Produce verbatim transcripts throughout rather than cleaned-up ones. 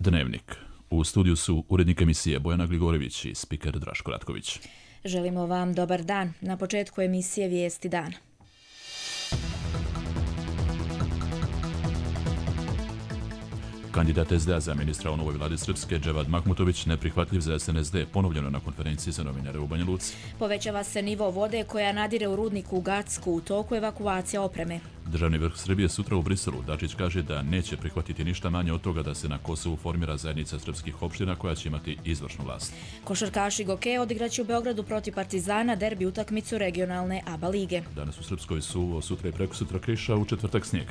Dnevnik. U studiju su urednik emisije Bojana Gligorević i spiker Draško Ratković. Želimo vam dobar dan. Na početku emisije Vijesti dana. Kandidat es de a za ministra u novoj vladi Srpske, Dževad Mahmutović, neprihvatljiv za es en es de, ponovljeno na konferenciji za novinare u Banja Luci. Povećava se nivo vode koja nadire u rudniku u Gacku, u toku evakuacija opreme. Državni vrh Srbije sutra u Briselu. Dačić kaže da neće prihvatiti ništa manje od toga da se na Kosovu formira zajednica srpskih opština koja će imati izvršnu vlast. Košarkaši Goke odigraće u Beogradu protiv Partizana derbi utakmicu regionalne A B A lige. Danas u Srpskoj suvo, sutra i prekosutra kiša, u četvrtak snijeg.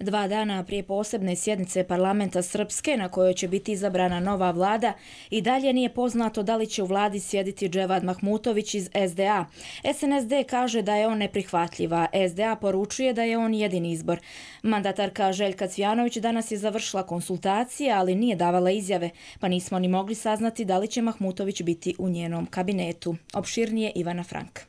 Dva dana prije posebne sjednice parlamenta Srpske na kojoj će biti izabrana nova vlada i dalje nije poznato da li će u vladi sjediti Dževad Mahmutović iz es de a. es en es de kaže da je on neprihvatljiva, es de a poručuje da je on jedini izbor. Mandatarka Željka Cvijanović danas je završila konsultacije, ali nije davala izjave, pa nismo ni mogli saznati da li će Mahmutović biti u njenom kabinetu. Opširnije Ivana Frank.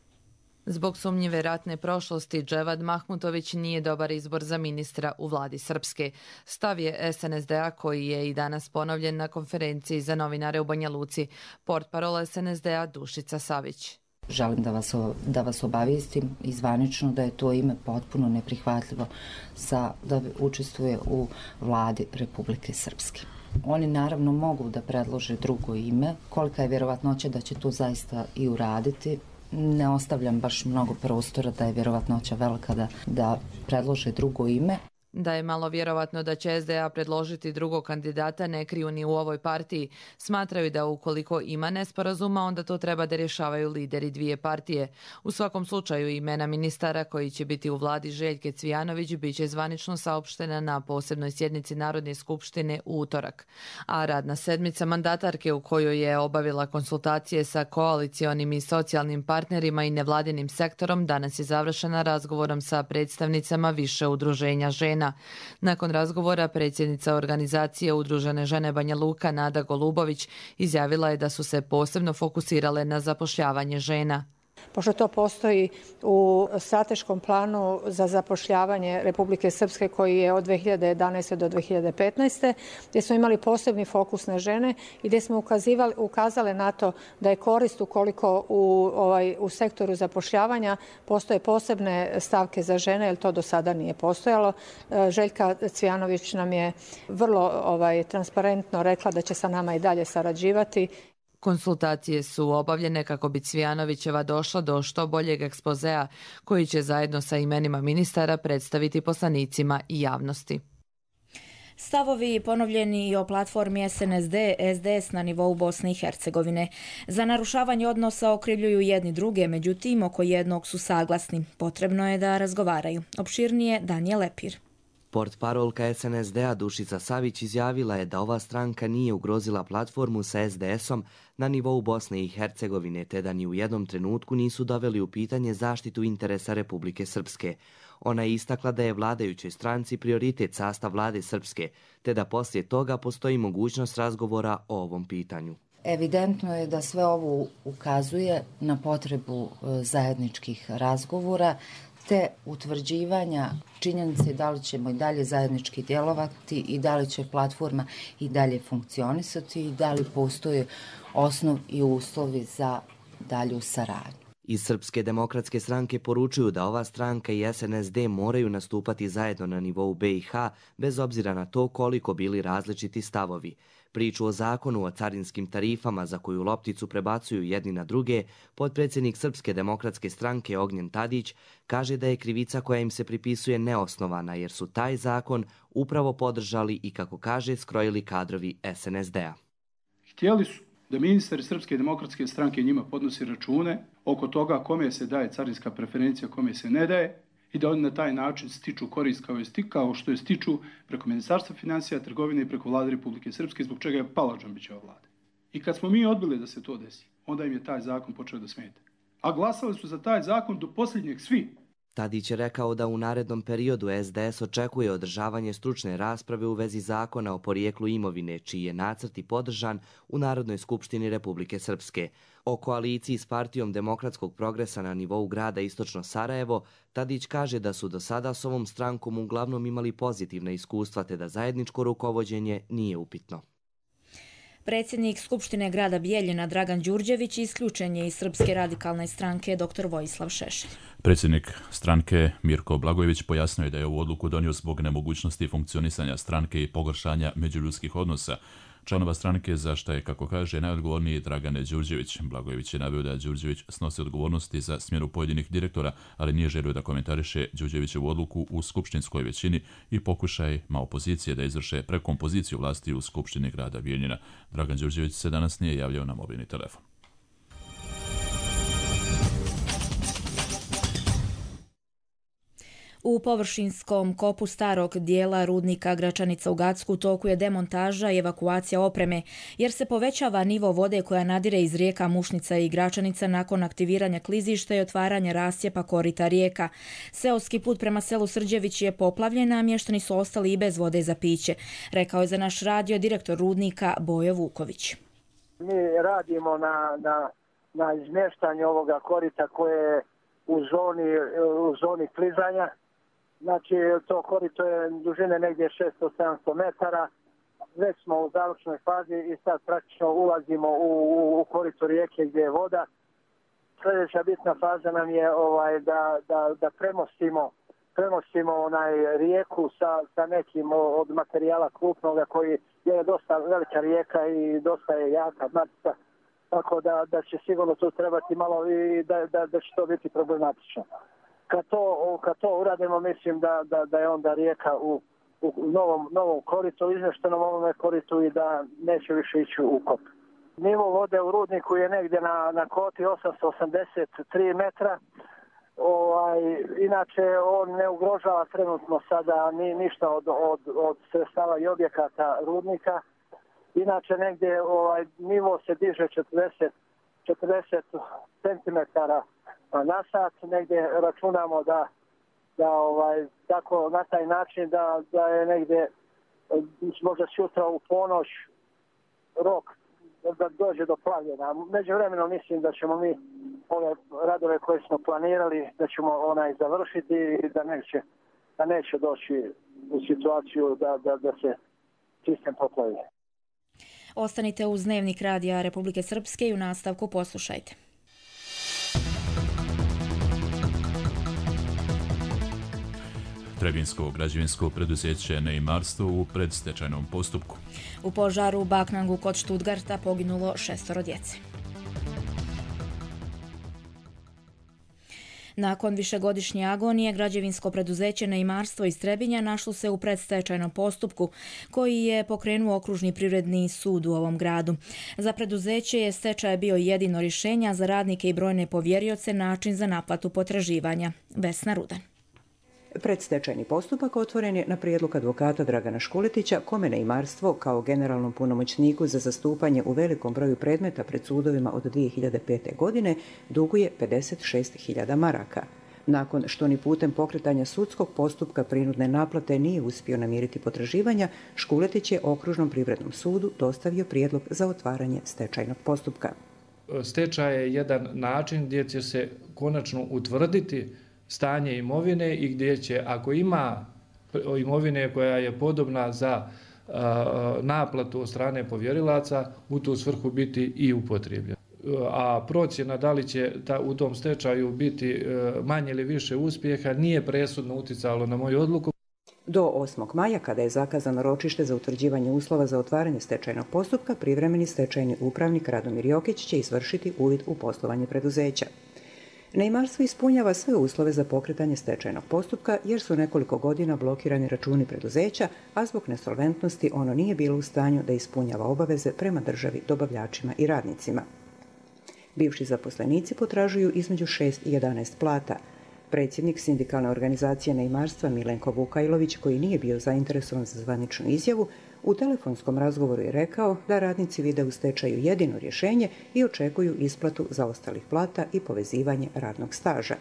Zbog sumnjive ratne prošlosti, Dževad Mahmutović nije dobar izbor za ministra u vladi Srpske. Stav je es en es de a koji je i danas ponovljen na konferenciji za novinare u Banja Luci. Portparol es en es de a Dušica Savić. Želim da vas, da vas obavijestim izvanično da je to ime potpuno neprihvatljivo za da učestvuje u vladi Republike Srpske. Oni naravno mogu da predlože drugo ime. Kolika je vjerovatnoća da će to zaista i uraditi? Ne ostavljam baš mnogo prostora da je vjerovatnoća velika da, da predlože drugo ime. Da je malo vjerovatno da će es de a predložiti drugog kandidata ne kriju ni u ovoj partiji. Smatraju da ukoliko ima nesporazuma, onda to treba da rješavaju lideri dvije partije. U svakom slučaju imena ministara koji će biti u vladi Željke Cvijanović bit će zvanično saopštena na posebnoj sjednici Narodne skupštine u utorak. A radna sedmica mandatarke u kojoj je obavila konsultacije sa koalicionim i socijalnim partnerima i nevladinim sektorom danas je završena razgovorom sa predstavnicama više udruženja žena. Nakon razgovora predsjednica organizacije Udružene žene Banja Luka Nada Golubović izjavila je da su se posebno fokusirale na zapošljavanje žena. Pošto to postoji u strateškom planu za zapošljavanje Republike Srpske koji je od dve hiljade jedanaeste. do dve hiljade petnaeste. gdje smo imali posebni fokus na žene i gdje smo ukazivali, ukazale na to da je korist ukoliko u, ovaj, u sektoru zapošljavanja postoje posebne stavke za žene, jer to do sada nije postojalo. Željka Cvijanović nam je vrlo ovaj, transparentno rekla da će sa nama i dalje sarađivati. Konsultacije su obavljene kako bi Cvijanovićeva došla do što boljeg ekspozea koji će zajedno sa imenima ministara predstaviti poslanicima i javnosti. Stavovi ponovljeni i o platformi es en es de, es de es na nivou Bosne i Hercegovine. Za narušavanje odnosa okrivljuju jedni druge, međutim oko jednog su saglasni. Potrebno je da razgovaraju. Opširnije Danijel Lepir. Portparolka es en es de a Dušica Savić izjavila je da ova stranka nije ugrozila platformu sa es de esom na nivou Bosne i Hercegovine, te da ni u jednom trenutku nisu doveli u pitanje zaštitu interesa Republike Srpske. Ona je istakla da je vladajućoj stranci prioritet sastav vlade Srpske, te da poslije toga postoji mogućnost razgovora o ovom pitanju. Evidentno je da sve ovo ukazuje na potrebu zajedničkih razgovora, te utvrđivanja činjenice da li ćemo i dalje zajednički djelovati i da li će platforma i dalje funkcionisati i da li postoje osnov i uslovi za dalju saradnju. Iz Srpske demokratske stranke poručuju da ova stranka i es en es de moraju nastupati zajedno na nivou be i ha bez obzira na to koliko bili različiti stavovi. Priču o zakonu o carinskim tarifama za koju lopticu prebacuju jedni na druge, potpredsjednik Srpske demokratske stranke Ognjen Tadić kaže da je krivica koja im se pripisuje neosnovana jer su taj zakon upravo podržali i, kako kaže, skrojili kadrovi es en es de a. Htjeli su da ministar Srpske demokratske stranke njima podnosi račune oko toga kome se daje carinska preferencija, kome se ne daje, i da oni na taj način stiču korist kao, je kao što je stiču preko Ministarstva financija, trgovine i preko vlade Republike Srpske, zbog čega je pala Džambićeva vlada. I kad smo mi odbili da se to desi, onda im je taj zakon počeo da smeta. A glasali su za taj zakon do posljednjeg svi. Tadić je rekao da u narednom periodu S D S očekuje održavanje stručne rasprave u vezi zakona o porijeklu imovine, čiji je nacrt i podržan u Narodnoj skupštini Republike Srpske. O koaliciji s Partijom demokratskog progresa na nivou grada Istočno Sarajevo, Tadić kaže da su do sada s ovom strankom uglavnom imali pozitivna iskustva te da zajedničko rukovođenje nije upitno. Predsjednik Skupštine grada Bijeljina Dragan Đurđević isključen je iz Srpske radikalne stranke dr Vojislav Šešelj. Predsjednik stranke Mirko Blagojević pojasnio je da je ovu odluku donio zbog nemogućnosti funkcionisanja stranke i pogoršanja međuljudskih odnosa članova stranke, za što je, kako kaže, najodgovorniji Dragane Đurđević. Blagojević je naveo da Đurđević snosi odgovornosti za smjenu pojedinih direktora, ali nije želio da komentariše Đurđevićevu odluku u skupštinskoj većini i pokušajima opozicije da izvrše prekompoziciju vlasti u Skupštini grada Bijeljina. Dragan Đurđević se danas nije javljao na mobilni telefon. U površinskom kopu starog dijela rudnika Gračanica u Gacku u toku je demontaža i evakuacija opreme, jer se povećava nivo vode koja nadire iz rijeka Mušnica i Gračanica nakon aktiviranja klizišta i otvaranja rascijepa korita rijeka. Seoski put prema selu Srđević je poplavljen, a mještani su ostali i bez vode za piće, rekao je za naš radio direktor rudnika Bojo Vuković. Mi radimo na, na, na izmještanju ovoga korita koje je u zoni, u zoni klizanja. Znači, to korito je dužine negdje šesto do sedamsto metara. Već smo u završnoj fazi i sad praktično ulazimo u, u, u korito rijeke gdje je voda. Sljedeća bitna faza nam je ovaj, da, da, da premostimo, premostimo onaj rijeku sa, sa nekim od materijala krupnoga koji je dosta velika rijeka i dosta je jaka matica. Tako da, da će sigurno tu trebati malo i da, da, da će to biti problematično. Kad to, kad to uradimo, mislim da, da, da je onda rijeka u, u novom, novom koritu, izmještenom ovome koritu i da neće više ići u kop. Nivo vode u rudniku je negdje na, na koti osamsto osamdeset tri metra. Ovaj, inače, on ne ugrožava trenutno sada ni, ništa od, od, od sredstava i objekata rudnika. Inače, negdje ovaj, nivo se diže četrdeset centimetara na sat, negdje računamo da, da ovaj, tako na taj način da, da je negdje možda sutra u ponoć rok da dođe do plavljena. Međuvremeno mislim da ćemo mi ove radove koje smo planirali da ćemo onaj završiti i da neće, da neće doći u situaciju da, da, da se sistem poplavi. Ostanite uz Dnevnik radija Republike Srpske i u nastavku poslušajte. Trebinsko građevinsko preduzeće Neimarstvo u predstečajnom postupku. U požaru u Baknangu kod Štutgarta poginulo šestoro djece. Nakon višegodišnje agonije, građevinsko preduzeće Neimarstvo iz Trebinja našlo se u predstečajnom postupku koji je pokrenuo okružni privredni sud u ovom gradu. Za preduzeće je stečaj bio jedino rješenje, a za radnike i brojne povjerioce način za naplatu potraživanja. Vesna Rudan. Predstečajni postupak otvoren je na prijedlog advokata Dragana Škuletića, kome Neimarstvo kao generalnom punomoćniku za zastupanje u velikom broju predmeta pred sudovima od dvije hiljade pete. godine duguje pedeset šest hiljada maraka. Nakon što ni putem pokretanja sudskog postupka prinudne naplate nije uspio namiriti potraživanja, Škuletić je okružnom privrednom sudu dostavio prijedlog za otvaranje stečajnog postupka. Stečaj je jedan način gdje će se konačno utvrditi stanje imovine i gdje će, ako ima imovine koja je podobna za a, naplatu od strane povjerilaca, u tu svrhu biti i upotrijebljena. A procjena da li će ta, u tom stečaju biti manje ili više uspjeha nije presudno uticalo na moju odluku. Do osmog maja, kada je zakazano ročište za utvrđivanje uslova za otvaranje stečajnog postupka, privremeni stečajni upravnik Radomir Jokić će izvršiti uvid u poslovanje preduzeća. Neimarstvo ispunjava sve uslove za pokretanje stečajnog postupka jer su nekoliko godina blokirani računi preduzeća, a zbog nesolventnosti ono nije bilo u stanju da ispunjava obaveze prema državi, dobavljačima i radnicima. Bivši zaposlenici potražuju između šest i jedanaest plata. Predsjednik sindikalne organizacije Neimarstva Milenko Vukajlović, koji nije bio zainteresovan za zvaničnu izjavu, u telefonskom razgovoru je rekao da radnici vide u stečaju jedino rješenje i očekuju isplatu zaostalih plata i povezivanje radnog staža.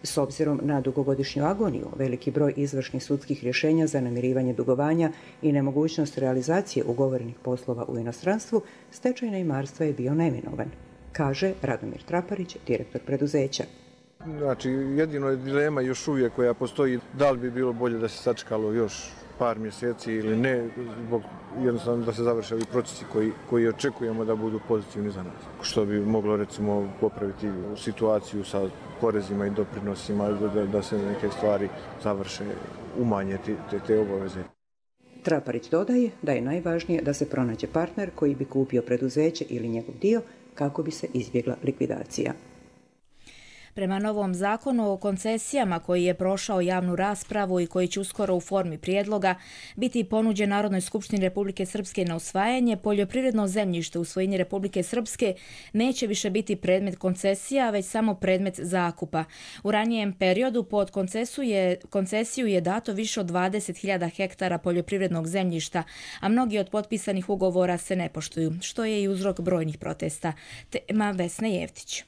S obzirom na dugogodišnju agoniju, veliki broj izvršnih sudskih rješenja za namirivanje dugovanja i nemogućnost realizacije ugovorenih poslova u inostranstvu, stečaj neimarstva je bio neminovan, kaže Radomir Traparić, direktor preduzeća. Znači, jedino je dilema još uvijek koja postoji, da li bi bilo bolje da se sačekalo još par mjeseci ili ne, zbog jednostavno da se završe ovi procesi koji, koji očekujemo da budu pozitivni za nas. Što bi moglo recimo popraviti situaciju sa porezima i doprinosima, da, da se neke stvari završe, umanje te, te obaveze. Traparić dodaje da je najvažnije da se pronađe partner koji bi kupio preduzeće ili njegov dio kako bi se izbjegla likvidacija. Prema novom zakonu o koncesijama koji je prošao javnu raspravu i koji će uskoro u formi prijedloga biti ponuđen Narodnoj skupštini Republike Srpske na usvajanje, poljoprivredno zemljište u svojini Republike Srpske neće više biti predmet koncesija, već samo predmet zakupa. U ranijem periodu pod koncesiju je, koncesiju je dato više od dvadeset hiljada hektara poljoprivrednog zemljišta, a mnogi od potpisanih ugovora se ne poštuju, što je i uzrok brojnih protesta. Tema Vesne Jevtić.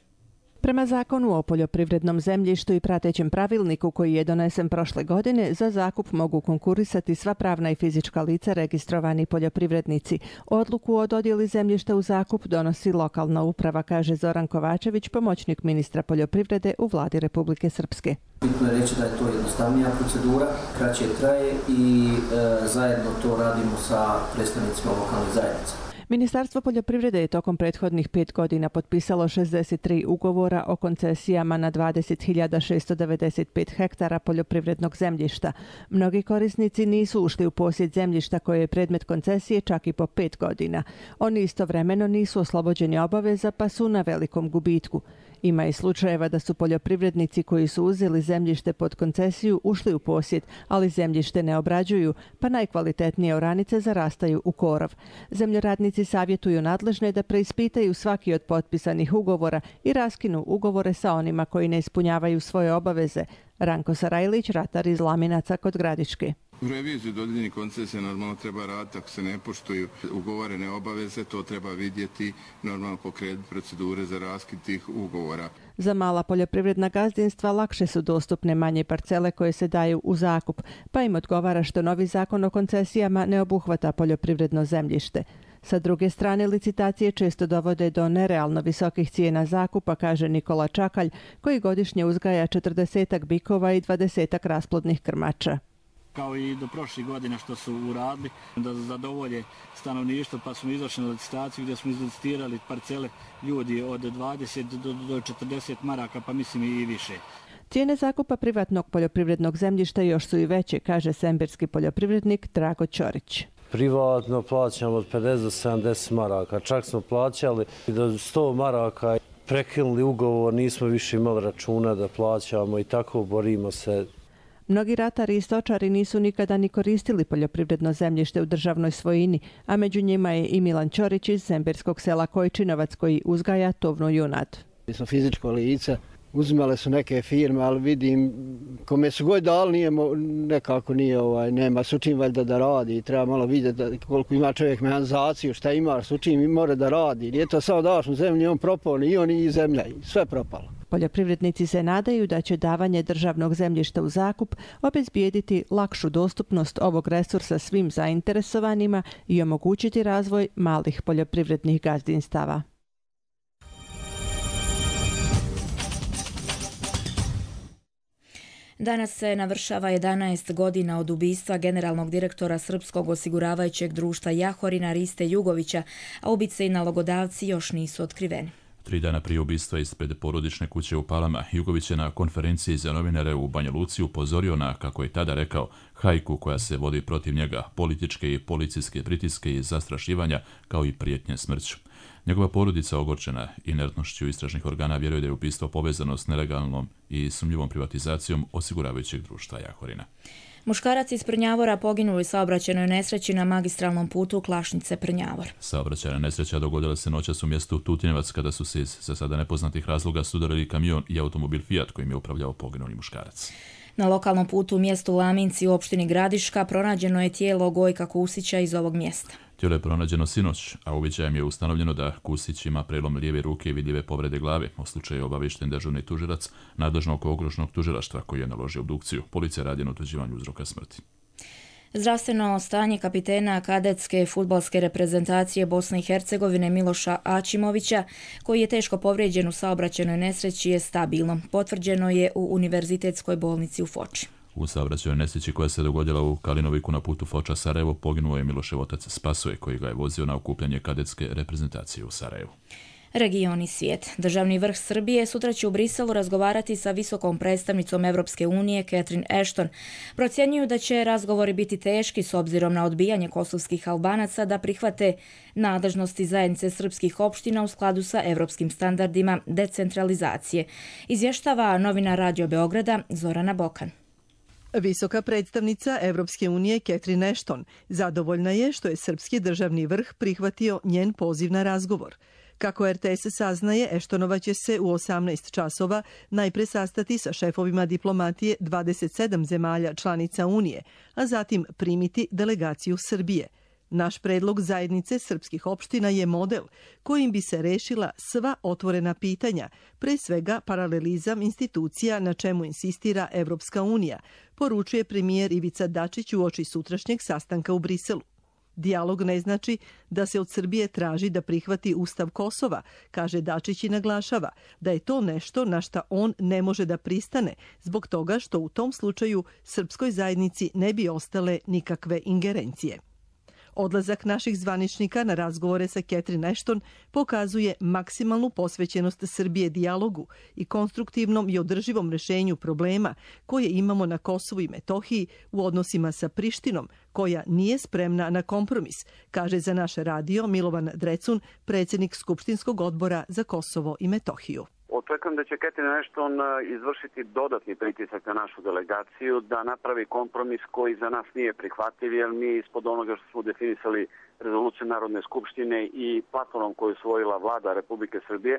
Prema zakonu o poljoprivrednom zemljištu i pratećem pravilniku koji je donesen prošle godine, za zakup mogu konkurisati sva pravna i fizička lica registrovani poljoprivrednici. Odluku o dodjeli zemljišta u zakup donosi lokalna uprava, kaže Zoran Kovačević, pomoćnik ministra poljoprivrede u vladi Republike Srpske. Bitno je reći da je to jednostavnija procedura, kraće traje i e, zajedno to radimo sa predstavnicima lokalnih zajednica. Ministarstvo poljoprivrede je tokom prethodnih pet godina potpisalo šezdeset tri ugovora o koncesijama na dvadeset hiljada šesto devedeset pet hektara poljoprivrednog zemljišta. Mnogi korisnici nisu ušli u posjed zemljišta koje je predmet koncesije čak i po pet godina. Oni istovremeno nisu oslobođeni obaveza pa su na velikom gubitku. Ima i slučajeva da su poljoprivrednici koji su uzeli zemljište pod koncesiju ušli u posjed, ali zemljište ne obrađuju, pa najkvalitetnije oranice zarastaju u korov. Zemljoradnici savjetuju nadležne da preispitaju svaki od potpisanih ugovora i raskinu ugovore sa onima koji ne ispunjavaju svoje obaveze. Ranko Sarajlić, ratar iz Laminaca kod Gradiške. U reviziju dodijeljenih koncesija normalno treba raditi, ako se ne poštuju ugovorene obaveze, to treba vidjeti, normalno pokrenuti procedure za raskid tih ugovora. Za mala poljoprivredna gazdinstva lakše su dostupne manje parcele koje se daju u zakup, pa im odgovara što novi zakon o koncesijama ne obuhvata poljoprivredno zemljište. Sa druge strane, licitacije često dovode do nerealno visokih cijena zakupa, kaže Nikola Čakalj, koji godišnje uzgaja četrdesetak bikova i dvadesetak rasplodnih krmača. Kao i do prošlih godina što su uradili da zadovolje stanovništvo, pa smo izašli na licitaciju gdje smo izlicitirali parcele ljudi od dvadeset do četrdeset maraka, pa mislim i više. Cijene zakupa privatnog poljoprivrednog zemljišta još su i veće, kaže semberski poljoprivrednik Drago Ćorić. Privatno plaćamo od pedeset do sedamdeset maraka, čak smo plaćali do sto maraka, prekinuli ugovor, nismo više imali računa da plaćamo i tako borimo se. Mnogi ratari i stočari nisu nikada ni koristili poljoprivredno zemljište u državnoj svojini, a među njima je i Milan Ćorić iz semberskog sela Kojčinovac koji uzgaja tovnu junad. Mi smo fizičko lice, uzimale su neke firme, ali vidim kome su god dali nije, nekako nije, ovaj, nema s učim valjda da radi. Treba malo vidjeti koliko ima čovjek mehanizaciju, šta ima, s učim mora da radi. Nije to samo daš u zemlji, on propao, i on i zemlja, sve propalo. Poljoprivrednici se nadaju da će davanje državnog zemljišta u zakup obezbijediti lakšu dostupnost ovog resursa svim zainteresovanima i omogućiti razvoj malih poljoprivrednih gazdinstava. Danas se navršava jedanaest godina od ubistva generalnog direktora Srpskog osiguravajućeg društva Jahorina Riste Jugovića, a ubice i nalogodavci još nisu otkriveni. Tri dana prije ubistva ispred porodične kuće u Palama, Jugović je na konferenciji za novinare u Banja Luci upozorio na, kako je tada rekao, hajku koja se vodi protiv njega, političke i policijske pritiske i zastrašivanja, kao i prijetnje smrću. Njegova porodica, ogorčena inertnošću istražnih organa, vjeruje da je ubistvo povezano s nelegalnom i sumnjivom privatizacijom osiguravajućeg društva Jahorina. Muškarac iz Prnjavora poginuo u saobraćajnoj nesreći na magistralnom putu Klašnice-Prnjavor. Saobraćajna nesreća dogodila se noćas u mjestu Tutinovac kada su se iz za sada nepoznatih razloga sudarili kamion i automobil Fiat kojim je upravljao poginuli muškarac. Na lokalnom putu u mjestu Laminci u opštini Gradiška pronađeno je tijelo Gojka Kusića iz ovog mjesta. Tijelo je pronađeno sinoć, a uviđajem je ustanovljeno da Kusić ima prelom lijeve ruke i vidljive povrede glave. O slučaju je obavješten dežurni tužilac nadležnog okružnog tužilaštva koji je naložio obdukciju. Policija radi na utvrđivanju uzroka smrti. Zdravstveno stanje kapitena kadetske fudbalske reprezentacije Bosne i Hercegovine Miloša Aćimovića, koji je teško povrijeđen u saobraćajnoj nesreći, je stabilno. Potvrđeno je u Univerzitetskoj bolnici u Foči. U saobraćajnoj nesreći koja se dogodila u Kalinoviku na putu Foča-Sarajevo poginuo je Milošev otac Spasoje, koji ga je vozio na okupljanje kadetske reprezentacije u Sarajevu. Region i svijet. Državni vrh Srbije sutra će u Briselu razgovarati sa visokom predstavnicom Evropske unije Catherine Ashton. Procjenjuju da će razgovori biti teški s obzirom na odbijanje kosovskih Albanaca da prihvate nadležnosti zajednice srpskih opština u skladu sa evropskim standardima decentralizacije. Izvještava novinar Radio Beograda Zorana Bokan. Visoka predstavnica Evropske unije Catherine Ashton zadovoljna je što je srpski državni vrh prihvatio njen poziv na razgovor. Kako er te es saznaje, Eštonova će se u osamnaest časova najpre sastati sa šefovima diplomatije dvadeset sedam zemalja članica Unije, a zatim primiti delegaciju Srbije. Naš predlog zajednice srpskih opština je model kojim bi se rešila sva otvorena pitanja, pre svega paralelizam institucija na čemu insistira Evropska unija, poručuje premijer Ivica Dačić uoči sutrašnjeg sastanka u Briselu. Dijalog ne znači da se od Srbije traži da prihvati Ustav Kosova, kaže Dačić i naglašava da je to nešto na šta on ne može da pristane, zbog toga što u tom slučaju srpskoj zajednici ne bi ostale nikakve ingerencije. Odlazak naših zvaničnika na razgovore sa Catherine Ashton pokazuje maksimalnu posvećenost Srbije dijalogu i konstruktivnom i održivom rešenju problema koje imamo na Kosovu i Metohiji u odnosima sa Prištinom, koja nije spremna na kompromis, kaže za naš radio Milovan Drecun, predsjednik Skupštinskog odbora za Kosovo i Metohiju. Očekujem da će Catherine Ashton izvršiti dodatni pritisak na našu delegaciju da napravi kompromis koji za nas nije prihvatljiv, jer mi ispod onoga što smo definisali rezoluciju Narodne skupštine i platformom koju je usvojila vlada Republike Srbije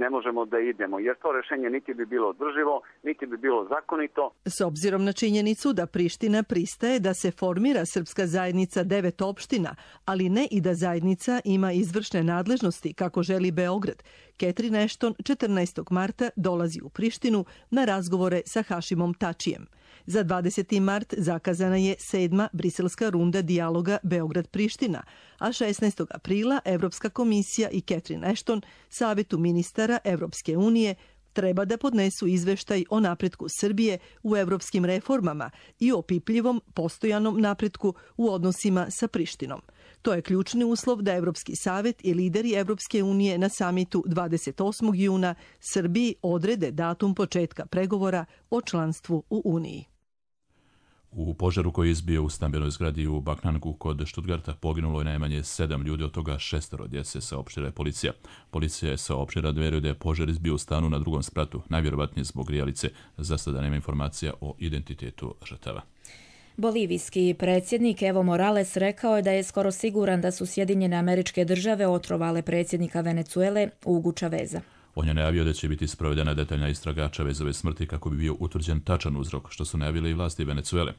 ne možemo da idemo, jer to rešenje niti bi bilo održivo, niti bi bilo zakonito. S obzirom na činjenicu da Priština pristaje da se formira srpska zajednica devet opština, ali ne i da zajednica ima izvršne nadležnosti kako želi Beograd, Catherine Ashton četrnaestog marta dolazi u Prištinu na razgovore sa Hašimom Tačijem. Za dvadeseti mart zakazana je sedma briselska runda dijaloga Beograd-Priština, a šesnaestog aprila Evropska komisija i Catherine Ashton, Savetu ministara Evropske unije, treba da podnesu izveštaj o napretku Srbije u evropskim reformama i o opipljivom postojanom napretku u odnosima sa Prištinom. To je ključni uslov da Evropski savet i lideri Evropske unije na samitu dvadeset osmog juna Srbiji odrede datum početka pregovora o članstvu u Uniji. U požaru koji je izbio u stambenoj zgradi u Baknangu kod Stuttgarta poginulo je najmanje sedam ljudi, od toga šestoro djece, saopštila je policija. Policija je saopštila da vjeruje da je požar izbio u stanu na drugom spratu, najvjerovatnije zbog grijalice. Za sada nema informacija o identitetu žrtava. Bolivijski predsjednik Evo Morales rekao je da je skoro siguran da su Sjedinjene Američke Države otrovale predsjednika Venezuele Hugo Chaveza. On je najavio da će biti sprovedena detaljna istraga Chavezove smrti kako bi bio utvrđen tačan uzrok, što su najavile i vlasti Venezuele.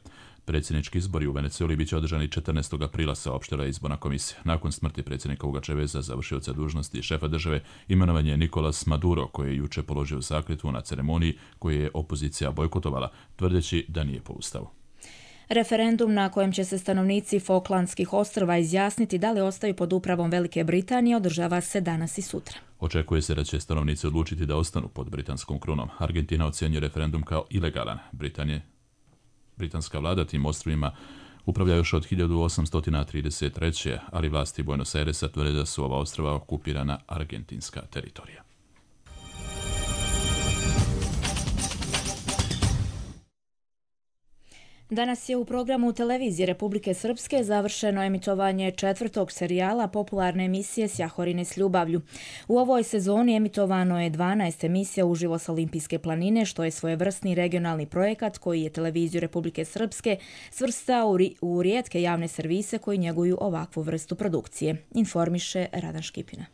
Predsjednički izbori u Venezueli biće održani četrnaestog aprila, saopštila je izborna komisija. Nakon smrti predsjednika Hugo Chaveza, završioca dužnosti šefa države, imenovan je Nicolas Maduro, koji je juče položio zakletvu na ceremoniji koju je opozicija bojkotovala, tvrdeći da nije po ustavu. Referendum na kojem će se stanovnici Falklandskih ostrva izjasniti da li ostaju pod upravom Velike Britanije održava se danas i sutra. Očekuje se da će stanovnici odlučiti da ostanu pod britanskom krunom. Argentina ocjenjuje referendum kao ilegalan. Britanije, britanska vlada tim ostrvima upravlja još od hiljadu osamsto trideset treće. ali vlasti Buenos Airesa tvrde da su ova ostrva okupirana argentinska teritorija. Danas je u programu televizije Republike Srpske završeno emitovanje četvrtog serijala popularne emisije Sjahorine s ljubavlju. U ovoj sezoni emitovano je dvanaest emisija uživo sa Olimpijske planine, što je svojevrsni regionalni projekat koji je televiziju Republike Srpske svrstao u rijetke javne servise koji njeguju ovakvu vrstu produkcije, informiše Radan Škipina.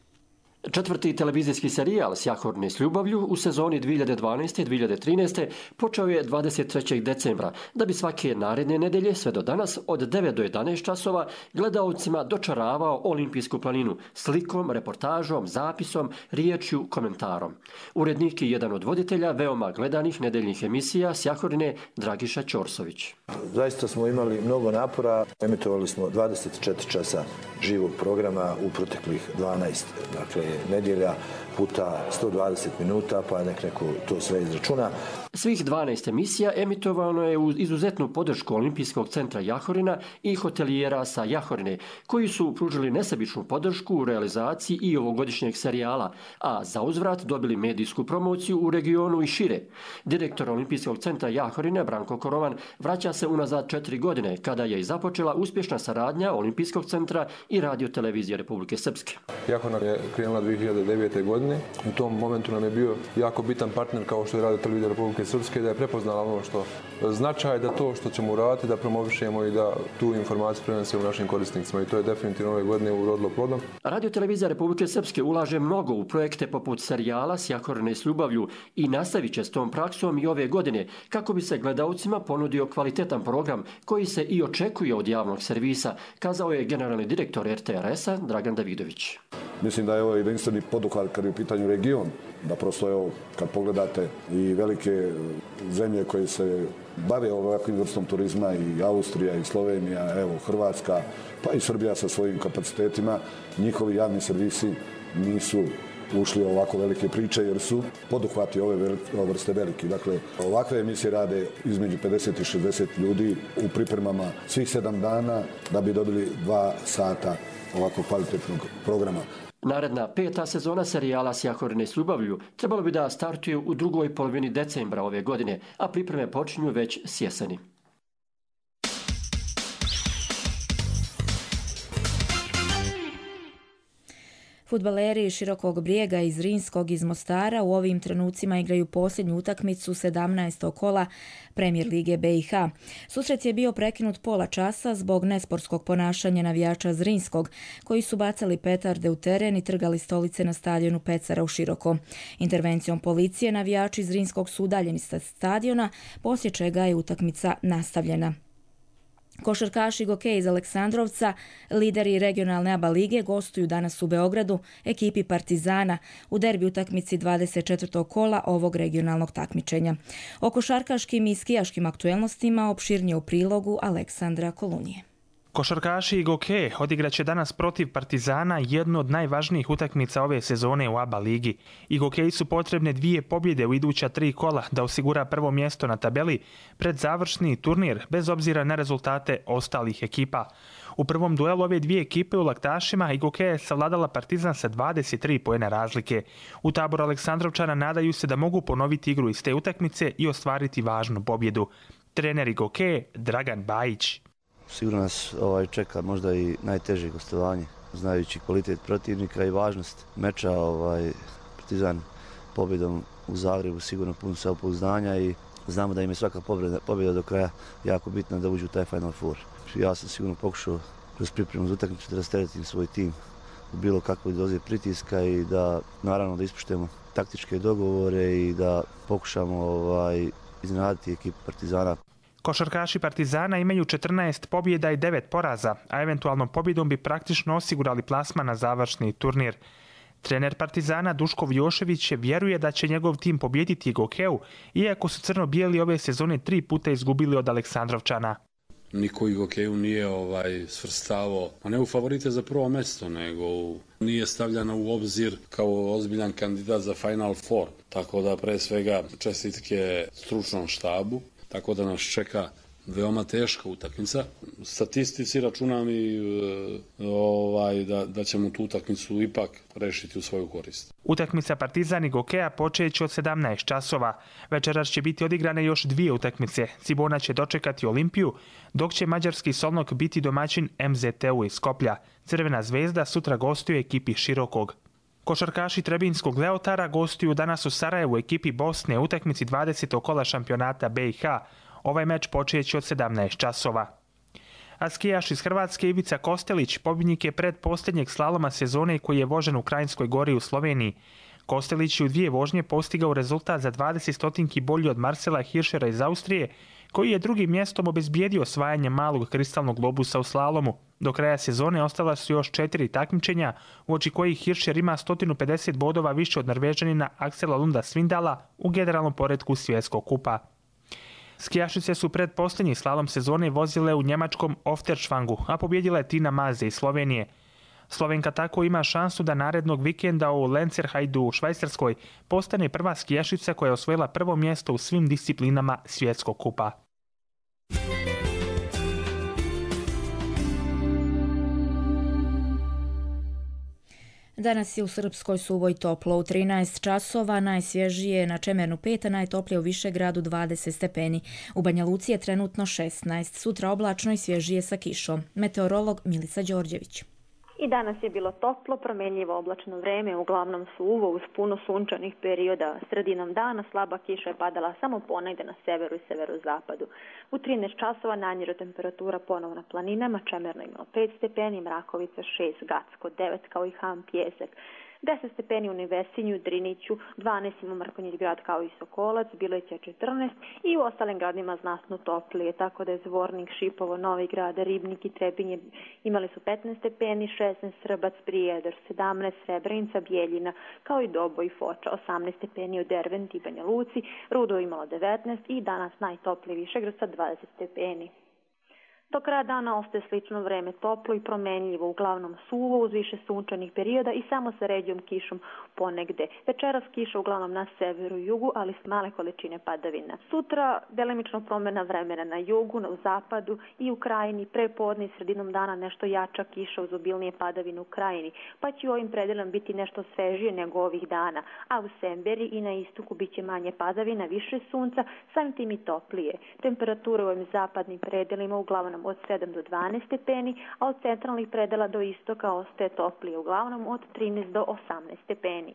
Četvrti televizijski serijal Sjahorne s ljubavlju u sezoni dvije hiljade dvanaeste dvije hiljade trinaeste počeo je dvadeset trećeg decembra, da bi svake naredne nedelje sve do danas od devet do jedanaest časova gledaocima dočaravao Olimpijsku planinu slikom, reportažom, zapisom, riječju, komentarom. Urednik i jedan od voditelja veoma gledanih nedeljnih emisija Sjahorne Dragiša Ćorsović. Zaista smo imali mnogo napora, emitovali smo dvadeset četiri časa živog programa u proteklih dvanaest, dakle nedjelja puta sto dvadeset minuta, pa nek neko to sve izračuna. Svih dvanaest emisija emitovano je uz izuzetnu podršku Olimpijskog centra Jahorina i hotelijera sa Jahorine, koji su pružili nesebičnu podršku u realizaciji i ovogodišnjeg serijala, a za uzvrat dobili medijsku promociju u regionu i šire. Direktor Olimpijskog centra Jahorine, Branko Korovan, vraća se unazad četiri godine, kada je i započela uspješna saradnja Olimpijskog centra i radiotelevizije Republike Srpske. Jahorina je krenula dvije hiljade devete. godine. U tom momentu nam je bio jako bitan partner kao što je radiotelevizija Republike Srpske, da je prepoznala ono što značaj, da to što ćemo uraditi, da promovišemo i da tu informaciju prenesemo našim korisnicima, i to je definitivno ove godine urodilo plodom. Radiotelevizija Republike Srpske ulaže mnogo u projekte poput serijala Sjahorne s ljubavlju i nastavit će s tom praksom i ove godine kako bi se gledaocima ponudio kvalitetan program koji se i očekuje od javnog servisa, kazao je generalni direktor er te er es-a Dragan Davidović. Mislim da je ovo jedinstveni poduhvat kad je u pitanju region, da prosto evo, kad pogledate i velike zemlje koje se bave ovakvim vrstom turizma, i Austrija, i Slovenija, evo Hrvatska, pa i Srbija sa svojim kapacitetima, njihovi javni servisi nisu ušli u ovako velike priče jer su poduhvati ove vrste veliki. Dakle, ovakve emisije rade između pedeset i šezdeset ljudi u pripremama svih sedam dana da bi dobili dva sata ovako kvalitetnog programa. Naredna peta sezona serijala Sjahorne s ljubavlju trebalo bi da startuje u drugoj polovini decembra ove godine, a pripreme počinju već s jeseni. Fudbaleri Širokog Brijega iz Zrinskog iz Mostara u ovim trenucima igraju posljednju utakmicu sedamnaestog kola Premijer lige be i ha. Susret je bio prekinut pola časa zbog nesportskog ponašanja navijača Zrinskog, koji su bacali petarde u teren i trgali stolice na stadionu Pecara u Široko. Intervencijom policije navijači Zrinskog su udaljeni sa stadiona, poslije čega je utakmica nastavljena. Košarkaši Gokej iz Aleksandrovca, lideri regionalne A B A lige, gostuju danas u Beogradu ekipi Partizana u derbi utakmici dvadeset četvrtog kola ovog regionalnog takmičenja. O košarkaškim i skijaškim aktuelnostima opširnije u prilogu Aleksandra Kolunije. Košarkaši i Goke odigraće danas protiv Partizana jednu od najvažnijih utakmica ove sezone u A B A ligi. I Gokeji su potrebne dvije pobjede u iduća tri kola da osigura prvo mjesto na tabeli pred završni turnir, bez obzira na rezultate ostalih ekipa. U prvom duelu ove dvije ekipe u Laktašima i Goke je savladala Partizan sa dvadeset tri poena razlike. U taboru Aleksandrovčana nadaju se da mogu ponoviti igru iz te utakmice i ostvariti važnu pobjedu. Trener i Goke Dragan Bajić. Sigurno nas ovaj, čeka možda i najteže gostovanje, znajući kvalitet protivnika i važnost meča. Ovaj, Partizan pobjedom u Zagrebu sigurno pun samopouzdanja i znamo da im je svaka pobjeda, pobjeda do kraja jako bitna da uđu u taj Final Four. Ja sam sigurno pokušao kroz pripremu za utakmicu da rasteretim svoj tim u bilo kakvoj dozi pritiska i da naravno da ispoštujemo taktičke dogovore i da pokušamo ovaj, iznenaditi ekipu Partizana. Košarkaši Partizana imaju četrnaest pobjeda i devet poraza, a eventualnom pobjedom bi praktično osigurali plasman na završni turnir. Trener Partizana Duško Vjošević vjeruje da će njegov tim pobjediti Gokeu, iako su crno-bijeli ove sezone tri puta izgubili od Aleksandrovčana. Niko i Gokeju nije ovaj, svrstavao, a ne u favorite za prvo mjesto, nego u, nije stavljana u obzir kao ozbiljan kandidat za Final Four. Tako da pre svega čestitke stručnom štabu. Tako da nas čeka veoma teška utakmica. Statistici računam i ovaj, da, da ćemo tu utakmicu ipak rešiti u svoju korist. Utakmica Partizan i Gokeja počeće od sedamnaest časova. Večeras će biti odigrane još dvije utakmice. Cibona će dočekati Olimpiju, dok će mađarski Solnok biti domaćin em zet te-u iz Skoplja. Crvena zvezda sutra gostuje ekipi Širokog. Košarkaši Trebinskog Leotara gostuju danas u Sarajevu ekipi Bosne u utakmici dvadesetog kola šampionata be i ha. Ovaj meč počeće od sedamnaest časova. a skijaš iz Hrvatske Ivica Kostelić pobjednik je predposljednjeg slaloma sezone koji je vožen u Krajinskoj Gori u Sloveniji. Kostelić je u dvije vožnje postigao rezultat za dvadeset stotinki bolji od Marcela Hirschera iz Austrije, koji je drugim mjestom obezbijedio osvajanje malog kristalnog globusa u slalomu. Do kraja sezone ostala su još četiri takmičenja, u oči kojih Hirscher ima sto pedeset bodova više od Norvežanina Aksela Lunda Svindala u generalnom poretku svjetskog kupa. Skijašice su pred posljednji slalom sezone vozile u njemačkom Ofterschwangu, a pobjedila je Tina Maze iz Slovenije. Slovenka tako ima šansu da narednog vikenda u Lenzerheidu u Švajcarskoj postane prva skijašica koja je osvojila prvo mjesto u svim disciplinama svjetskog kupa. Danas je u Srpskoj Suvoj toplo u trinaest časova, najsvježije na Čemernu pet, a najtoplije u Višegradu dvadeset stepeni. U Banja Luci je trenutno šesnaest, sutra oblačno i svježije sa kišom. Meteorolog Milica Đorđević. I danas je bilo toplo, promjenjivo oblačno vreme, uglavnom suvo uz puno sunčanih perioda. Sredinom dana slaba kiša je padala samo ponegde na severu i severozapadu. U trinaest časova najniža temperatura ponovo na planinama, Čemerno imalo pet stepeni, Mrakovica šest, Gacko devet kao i Ham Pjesak. deset stepeni u Nevesinju, Driniću, dvanaest ima Mrkonjić grad kao i Sokolac, Bileća četrnaest i u ostalim gradima znatno toplije, tako da je Zvornik, Šipovo, Novi Grad, Ribnik i Trebinje imali su petnaest stepeni, šesnaest Srbac, Prijedor, sedamnaest Srebrenica, Bijeljina, kao i Doboj i Foča, osamnaest stepeni u Derventi i Banja Luci, Rudo imalo devetnaest i danas najtoplije Višegrad sa dvadeset stepeni. Do kraja dana ostaje slično vreme, toplo i promenljivo, uglavnom suvo uz više sunčanih perioda i samo sa ređom kišom ponegde. Večeras kiša uglavnom na severu i jugu, ali s male količine padavina. Sutra delimično promjena vremena na jugu, na zapadu i u krajini, prepodne i sredinom dana nešto jača kiša uz obilnije padavine u krajini, pa će u ovim predelama biti nešto svežije nego ovih dana, a u Semberi i na istoku bit će manje padavina, više sunca, samim tim i toplije. Temperature u ovim zapadnim predelima uglavnom od sedam do dvanaest stepeni, a od centralnih predela do istoka ostaje toplije, uglavnom od trinaest do osamnaest stepeni.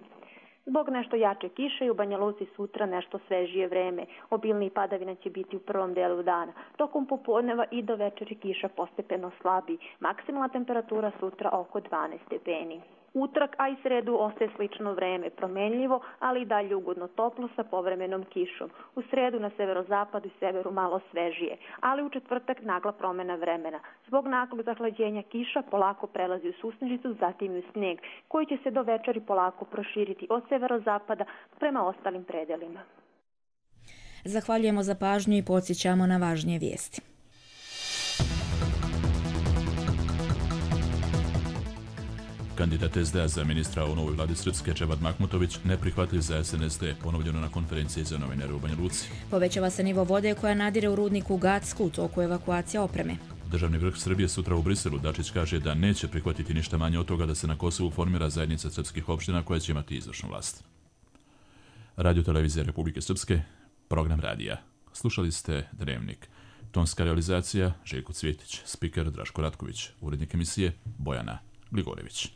Zbog nešto jače kiše i u Banja Luci sutra nešto svežije vreme. Obilni padavina će biti u prvom delu dana. Tokom popodneva i do večeri kiša postepeno slabi. Maksimalna temperatura sutra oko dvanaest stepeni. Utorak, a i sredu ostaje slično vreme, promenljivo, ali i dalje ugodno toplo sa povremenom kišom. U sredu na severozapadu i severu malo svežije, ali u četvrtak nagla promjena vremena. Zbog naglog zahlađenja kiša polako prelazi u susnežicu, zatim i u sneg, koji će se do večeri polako proširiti od severozapada prema ostalim predelima. Zahvaljujemo za pažnju i podsjećamo na važnije vijesti. Kandidat es de a za ministra u novoj vladi Srpske Dževad Mahmutović neprihvatljiv za es en es de, ponovljeno na konferenciji za novinare u Banja Luci. Povećava se nivo vode koja nadire u rudniku Gacku, u toku evakuacija opreme. Državni vrh Srbije sutra u Briselu. Dačić kaže da neće prihvatiti ništa manje od toga da se na Kosovu formira zajednica srpskih opština koja će imati izvršnu vlast. Radio Televizija Republike Srpske, program radija. Slušali ste Dnevnik. Tonska realizacija Željko Cvjetić, spiker Draško Ratković, urednik emisije Bojana Gligorević.